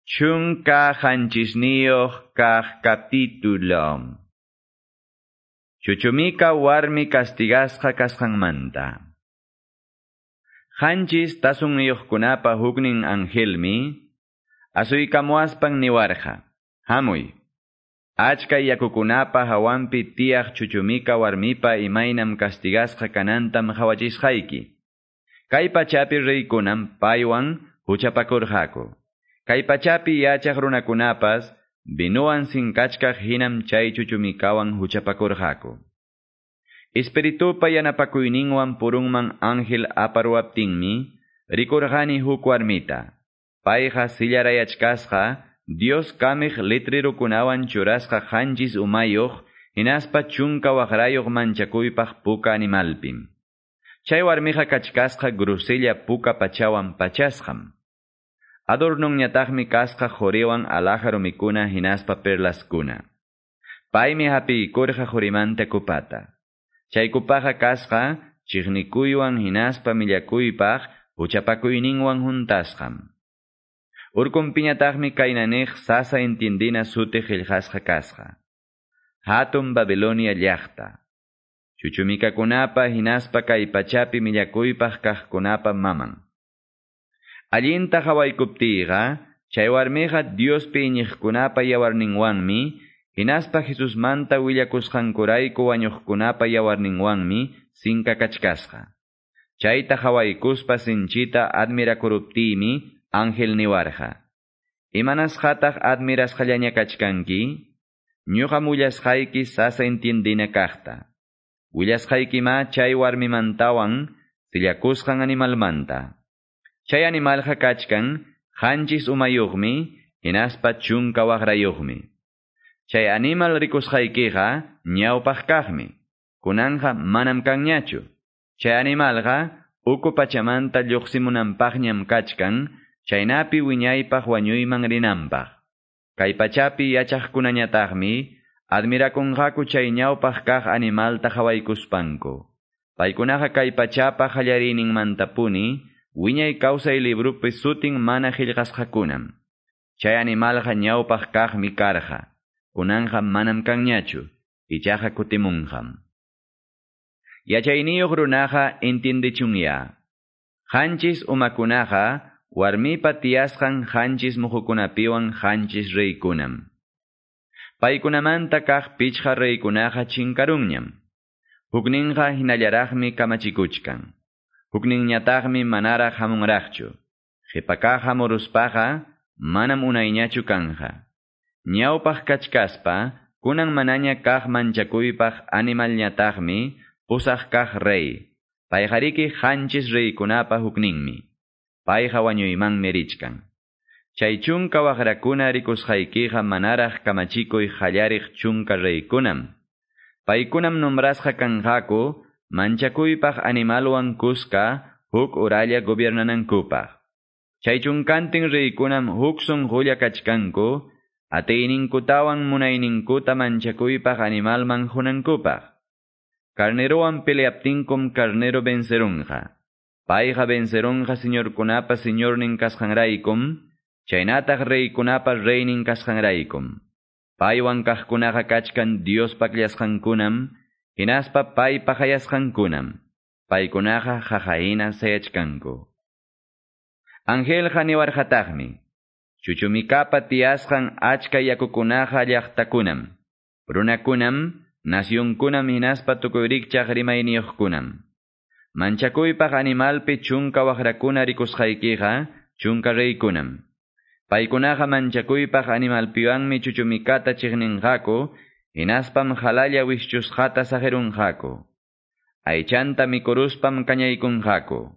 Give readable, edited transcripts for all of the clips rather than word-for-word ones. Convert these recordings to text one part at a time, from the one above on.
17 kaq capítulo. Chuchumika warmi castigasqa kasqanmanta. 7 tasunniyuqkunapa huknin angelmi asuykamuaspan niwarqa. Hamuy. Achka yakukunapa hawanpi tiyaq chuchumika warmipa imaynam castigasqa kanantam qhawachisqayki. Kay pachapi reykunam paywan huchapakurqaku. Kay pachapi yachaq runakunapas vinuwan sinkachkaq hinam chay chuchumikawan huchapakurqaku. Espiritupa yanapakuyninwan purunman ángel aparuaptinmi rikurqani huk warmita. Payqa sillarayachkasqa Dios kamiq litrirukunawan churasqa 7 umayuq hinaspa 10 waqrayuq manchakuypaq puka animalpim. Chay warmiqa kachkasqa grusella puka pachawan pachasqam. Adornunñataqmi kasqa quriwan alhaja rumikuna hinaspa perlaskuna. Paymi hapiykurqa qurimanta kupata. Chay kupaqa kasqa chiqnikuywan hinaspa millakuypaq huchapakuyninwan huntasqam. Urkunpiñataqmi kaynaniq sasa entiendina suti qillqasqa kasqa. Hatun Babilonia llaqta. Chuchumikakunapa hinaspa kay pachapi millakuypaq kaqkunapa maman. Allinta hawaykuptiyqa, chay warmiqa Diospi iñiqkunapa yawarninwanmi, hinaspa Jesusmanta willakusqankurayku wañuqkunapa yawarninwanmi sinkakachkasqa. Chayta hawaykuspa sinchita admirakuruptiymi ángel niwarqa. Imanasqataq admirasqallaña kachkanki? Ñuqam willasqayki sasa entiendina kaqta. Willasqaykima chay warmimantawan sillakusqan animalmanta. Chay animalqa kachkan 7 umayuqmi hinaspa 10 waqrayuqmi. Chay animal rikusqaykiqa ñawpaq kaqmi. Kunanqa manam kanñachu. Chay animalqa uku pachamanta lluqsimunanpaqñam kachkan, chaynapi wiñaypaq wañuyman rinanpaq. Kay pachapi yachaqkunañataqmi admirakunqaku chay ñawpaq kaq animalta qhawaykuspanku. Paykunaqa kay pachapa qallariyninmantapuni wiñay kawsay librupi sutin mana qillqasqakunam. Chay animalqa ñawpaq kaqmi karqa. Kunanqa manam kanñachu, ichaqa kutimunqam. Yachayniyuq runaqa entiendechunya. 7 umakunaqa warmipa tiyasqan 7 muhukunapiwan 7 reykunam. Paykunamanta kaq 5 reykunaqa chinkarunñam. Hukninqa hinallaraqmi kamachikuchkan. Hukninñataqmi manaraq hamunraqchu. Qhipakaq hamuruspaqa manam unayñachu kanja. Ñawpaq kachkaspa, kunan manaña kaq manchakuypaq animalñataqmi 8 kaq rey. Payqariki 7 reykunapa hukninmi. Payqa wañuymanmi richkan. Chay 10 waqrakuna rikusqaykiqa manaraq kamachikuy qallariq 10 reykunam. Paykunam nombrasqa kanqaku manchakuypaq animalwan kuska huk uralla gobiernanankupaq. Chay 10 reykunam huk sunqulla kachkanku, atiyninkutawan munayninkuta manchakuypaq animalman hunankupaq. Carnerowan peleaptinkum carnero vencerunqa. Payqa vencerunqa señorkunapa señornin kasqanraykum, chaynataq reykunapa reynin kasqanraykum. Paywan kaqkunaqa kachkan Diospa akllasqankunam, hinaspa paypa qayasqankunam. Paykunaqa qaqahina sayachkanku. Angelqa niwarqataqmi, chuchumikapa tiyasqan achka yakukunaqa llaqtakunam, runakunam, nacionkunam hinaspa tukuy rikchaq rimayniyuqkunam. Manchakuypaq animalpi 10 waqrakuna rikusqaykiqa 10 reykunam. Paykunaqa manchakuypaq animalpiwanmi chuchumikata chiqninqaku, hinaspam halalla wischusqata saqirunqaku. Aychanta mikuruspam kañaykunqaku.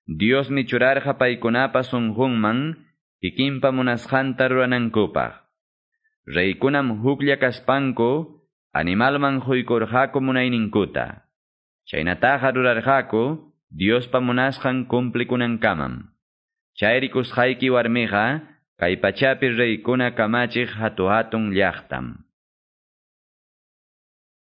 Diosmi churarqa paykunapa sunqunman kikinpa munasqanta ruranankupaq. Reykunam huklla kaspanku animalman huykurqaku munayninkuta. Chaynataqa rurarqaku Diospa munasqan cumplikunankamam. Chay rikusqayki warmiqa kay pachapi reykuna kamachiq hatu hatun llaqtam.